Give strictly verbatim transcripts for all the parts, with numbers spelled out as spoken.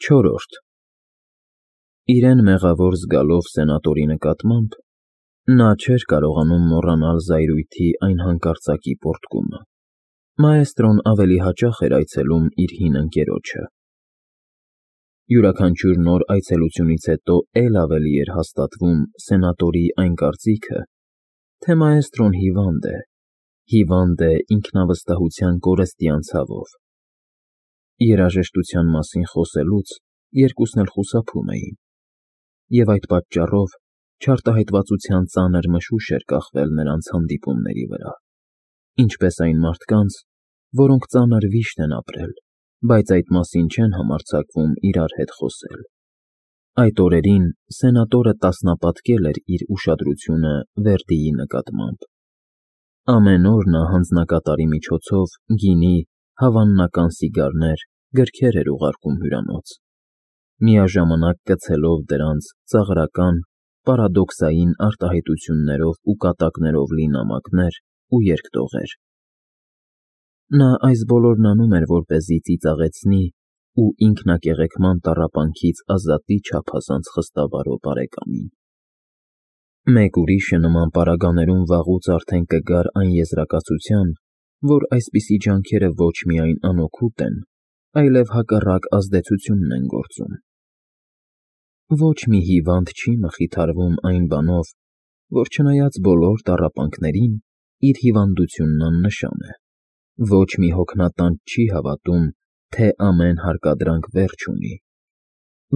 Չորրորդ Իրեն մեղավոր զգալով սենատորի նկատմամբ, նա չէր կարողանում մոռանալ զայրույթի այն հանկարծակի պոռթկումը. մաեստրոն ավելի հաճախ էր այցելում իր հին ընկերոջը։ Յուրաքանչյուր նոր այցելությունից հետո էլ ավելի էր հաստատվում սենատորի այն կարծիքը, թե մաեստրոն հիվանդ է, հիվանդ է ինքնավստահության կորստյան ցավով։ Երաժշտության մասին խոսելուց երկուսն էլ խուսափում էին, և այդ պատճառով չարտահայտվածության ծանր մշուշ էր կախվել նրանց հանդիպումների վրա, ինչպես այն մարդկանց, որոնք ծանր վիշտ են ապրել, բայց այդ մասին չեն համարձակվում իրար հետ խոսել։ Այդ օրերին սենատորը տասնապատկել էր իր ուշադրությունը Վերդիի նկատմամբ։ Ամեն օր նա հանձնակատարի միջոցով գինի, հավանական սիգարներ, գրքեր էր ուղարկում հյուրանոց, միաժամանակ կցելով դրանց ծաղրական, պարադոքսային արտահայտություններով ու կատակներով լի նամակներ ու երկտողեր։ Նա այս բոլորն անում էր, որպեսզի ծիծաղեցնի ու ինքնակեղեքման տառապանքից ազատի չափազանց խստավարո բարեկամին։ Մեկ ուրիշը նման պարագաներում վաղուց արդեն կգար այն եզրակացության, որ այսպիսի ջանքերը ոչ միայն անօգուտ են, այլև հակառակ ազդեցությունն են գործում։ Ոչ մի հիվանդ չի մխիթարվում այն բանով, որ չնայած բոլոր տառապանքներին, իր հիվանդությունն աննշան է։ Ոչ մի հոգնատանց չի հավատում, թե ամեն հարկադրանք վերջ ունի։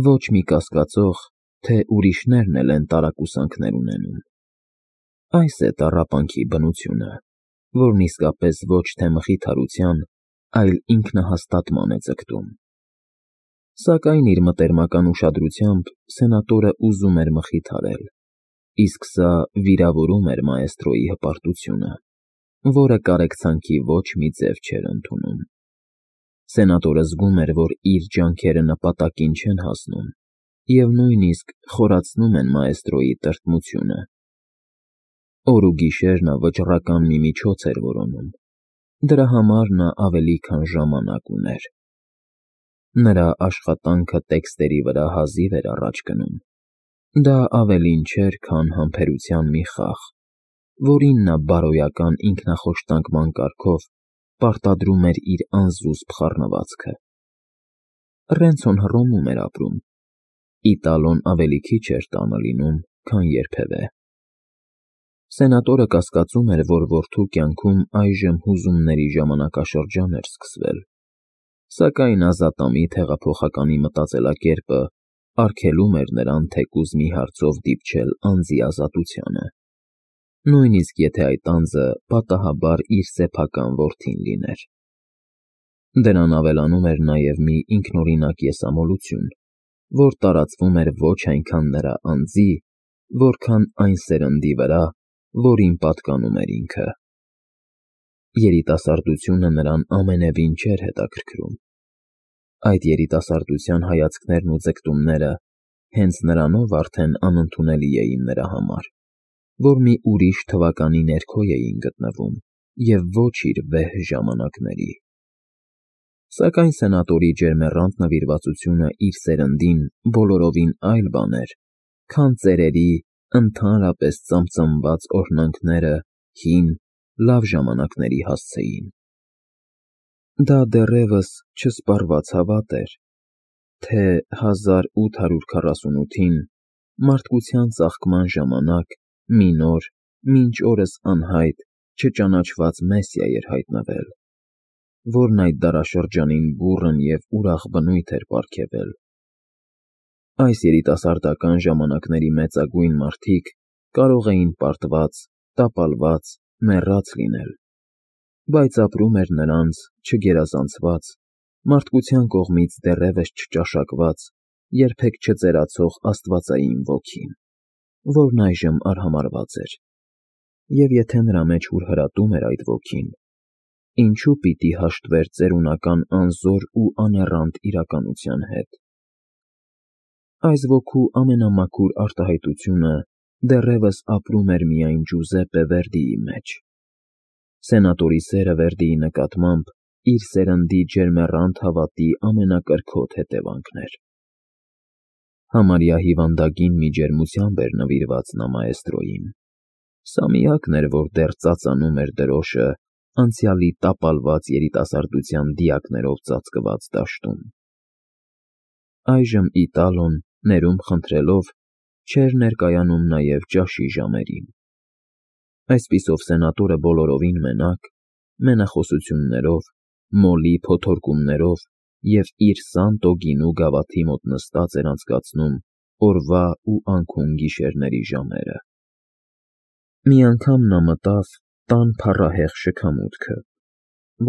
Ոչ մի կասկածող, թե ուրիշներն էլ են տարակուսանքներ ունենում։ Այս է տառապանքի բնությունը, որն իսկապես ոչ թե մխիթարության, այլ ինքնահաստատման է ձգտում։ Սակայն իր մտերմական ուշադրությամբ սենատորը ուզում էր մխիթարել, իսկ սա վիրավորում էր մաեստրոյի հպարտությունը, որը կարեկցանքի ոչ մի ձև չէր ընդունում։ Սենատորը զգում էր, որ իր ջանքերը նպատակին չեն հասնում և նույնիսկ խորացնում են մաեստրոյի տրտմությունը։ Օր ու գիշեր նա վճռական մի միջոց էր որոնում, դրա համար նա ավելի քան ժամանակ ուներ։ Նրա աշխատանքը տեքստերի վրա հազիվ էր առաջ գնում։ Դա ավելին չէր, քան համբերության մի խաղ, որին նա բարոյական ինքնախոշտանկման կարգով պարտադրում էր իր անզուսպ խառնվածքը։ Ռենցոն Հռոմում էր ապրում, Իտալոն ավելի քիչ էր տանը լինում, քան երբևէ։ Սենատորը կասկածում էր, որ որդու կյանքում այժմ հուզումների ժամանակաշրջան էր սկսվել, սակայն ազատամիտ հեղափոխականի մտածելակերպը արգելում էր նրան թեկուզ մի հարցով դիպչել անձի ազատությանը, նույնիսկ եթե այդ անձը պատահաբար իր սեփական որդին լիներ։ Դրան ավելանում էր նաև մի ինքնօրինակ եսամոլություն, որ տարածվում էր ոչ այնքան նրա անձի, որքան այն սերնդի վրա, որին պատկանում էր ինքը։ Երիտասարդությունը նրան ամենևին չէր հետաքրքրում։ Այդ երիտասարդության հայացքներն ու ձգտումները հենց նրանով արդեն անընդունելի էին նրա համար, որ մի ուրիշ թվականի ներքո էին գտնվում և ոչ իր վեհ ժամանակների։ Սակայն սենատորի ջերմեռանդ նվիրվածությունը իր սերնդին բոլորովին այլ բան էր, քան ծերերի ընդհանրապես ծամծամված օրհնանքները հին, լավ ժամանակների հասցեին։ Դա դեռևս չսպառված հավատ էր, թե հազար ութ հարյուր քառասունութին մարդկության ծաղկման ժամանակ մի նոր, մինչ օրս անհայտ, չճանաչված Մեսիա էր հայտնվել, որն այդ դարաշրջանին բուռն և ուրախ բնույթ էր պարգևել։ Այս երիտասարդական ժամանակների մեծագույն մարդիկ կարող էին պարտված, տապալված, մեռած լինել, բայց ապրում էր նրանց չգերազանցված, մարդկության կողմից դեռևս չճաշակված, երբեք չծերացող աստվածային ոգին, որն այժմ արհամարհված էր, և եթե նրա մեջ հուրհրատում էր այդ ոգին, ինչու պիտի հաշտվեր ծերունական անզոր ու աներranդ իրականության հետ։ Այս ոգու ամենամաքուր արտահայտությունը դեռևս ապրում էր միայն Ջուզեպպե Վերդիի մեջ։ Սենատորի սերը Վերդիի նկատմամբ իր սերնդի ջերմեռանդ հավատի ամենակրքոտ հետևանքն էր։ Համարյա հիվանդագին մի ջերմությամբ էր նվիրված նա մաեստրոյին. սա միակն էր, որ դեռ ծածանում էր դրոշը անցյալի տապալված երիտասարդության դիակներով ծածկված դաշտում։ Այժմ Իտալոն, ներում խնդրելով, չէր ներկայանում նաև ճաշի ժամերին։ Այսպիսով սենատորը բոլորովին մենակ, մենախոսություններով, մոլի փոթորկումներով և իր Սանտո գինու գավաթի մոտ նստած էր անցկացնում օրվա ու անքուն գիշերների ժամերը։ Մի անգամ նա մտավ տան փառահեղ շքամուտքը,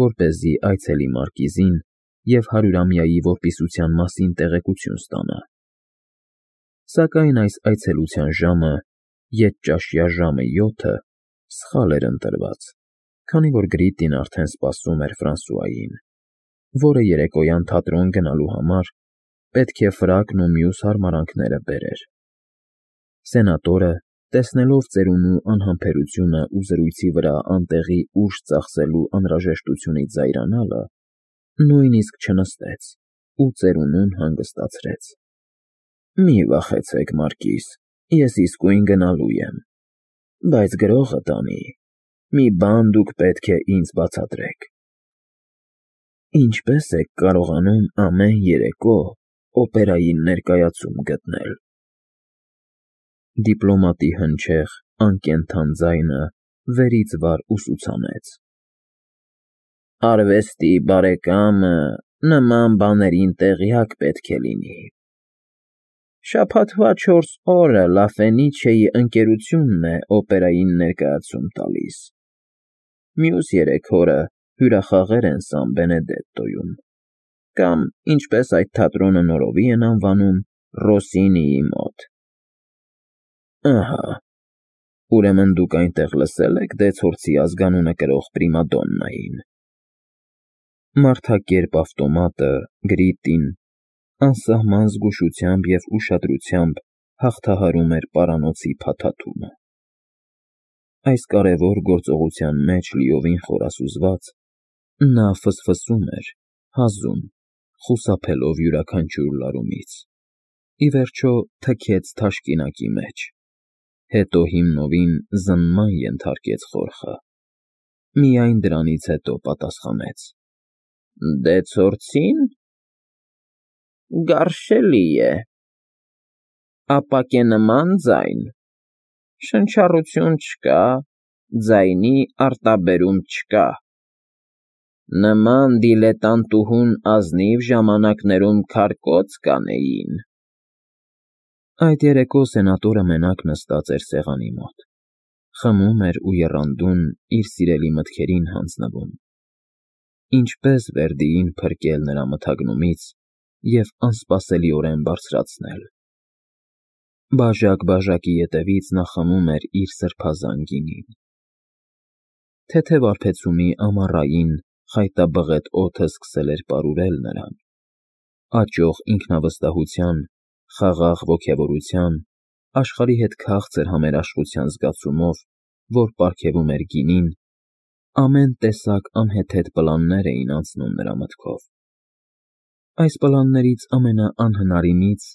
որպեսզի այցելի մարկիզին և հարյուրամյայի որպիսության մասին տեղեկություն ստանա։ Սակայն այս այցելության ժամը, ետճաշյա ժամը յոթը, սխալ էր ընտրված, քանի որ Գրիտտին արդեն սպասում էր Ֆրանսուային, որը երեկոյան թատրոն գնալու համար պետք է ֆրակն ու մյուս հարմարանքները բերեր։ Սենատորը, տեսնելով ծերունու անհամբերությունը ու զրույցի վրա անտեղի ուժ ծախսելու անհրաժեշտությունից զայրանալը, նույնիսկ չնստեց ու ծերունուն հանգստացրեց։ Մի վախեցեք, մարկիզ, ես իսկույն գնալու եմ, բայց գրողը տանի, մի բան դուք պետք է ինձ բացատրեք։ Ինչպե՞ս եք կարողանում ամեն երեկո օպերային ներկայացում գտնել։ Դիպլոմատի հնչեղ, անկենդան ձայնը վերից վար ուսուցանեց. Արվեստի բարեկամը նման բաներին տեղյակ պետք է լինի։ Շաբաթվա չորս օրը Լա Ֆենիչեի ընկերությունն է օպերային ներկայացում տալիս, մյուս երեք օրը հյուրախաղեր են Սան Բենեդետտոյում, կամ, ինչպես այդ թատրոնը նորովի են անվանում, Ռոսինիի մոտ։ Ահա, ուրեմն դուք այնտեղ լսել եք Դեցորցի ազգանունը կրող պրիմադոննային։ Մարդակերպ ավտոմատը, Գրիտտին, անսահման զգուշությամբ և ուշադրությամբ հաղթահարում էր պարանոցի փաթաթումը։ Այս կարևոր գործողության մեջ լիովին խորասուզված, նա ֆսֆսում էր, հազում, խուսափելով յուրաքանչյուր լարումից, ի վերջո թքեց թաշկինակի մեջ, հետո հիմնովին զննման ենթարկեց խորխը, միայն դրանից հետո պատասխանեց. Դեցորցի՞ն։ Գարշելի է, ապակենման ձայն, շնչառություն չկա, ձայնի արտաբերում չկա։ Նման դիլետանտուհուն ազնիվ ժամանակներում քարկոծ կանեին։ Այդ երեկո սենատորը մենակ նստած էր սեղանի մոտ, խմում էր ու եռանդուն իր սիրելի մտքերին հանձնվում. ինչպես Վերդիին փրկել նրա մթագնումից և անսպասելիորեն բարձրացնել։ Բաժակ-բաժակի ետևից նա խմում էր իր սրբազան գինին։ Թեթև արբեցումի ամառային, խայտաբղետ օդը սկսել էր պարուրել նրան, աճող ինքնավստահության, խաղաղ ոգևորության, աշխարհի հետ քաղցր համերաշխության զգացումով, որ պարգևում էր գինին, ամեն տեսակ անհեթեթ պլաններ էին անցնում նրա մտքով։ Այս պլաններից ամենաանհնարինից,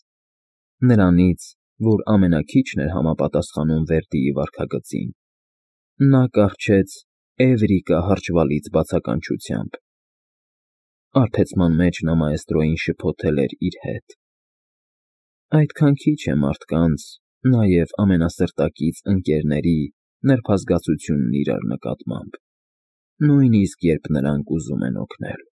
նրանից, որ ամենաքիչն էր համապատասխանում Վերդիի վարքագծին, նա կառչեց Էվրիկա հրճվալից բացականչությամբ։ Արբեցման մեջ նա մաեստրոյին շփոթել էր իր հետ. այդքան քիչ է մարդկանց, նաև ամենասրտակից ընկերների նրբազգացությունն իրար նկատմամբ, նույնիսկ երբ նրանք ուզում են օգնել։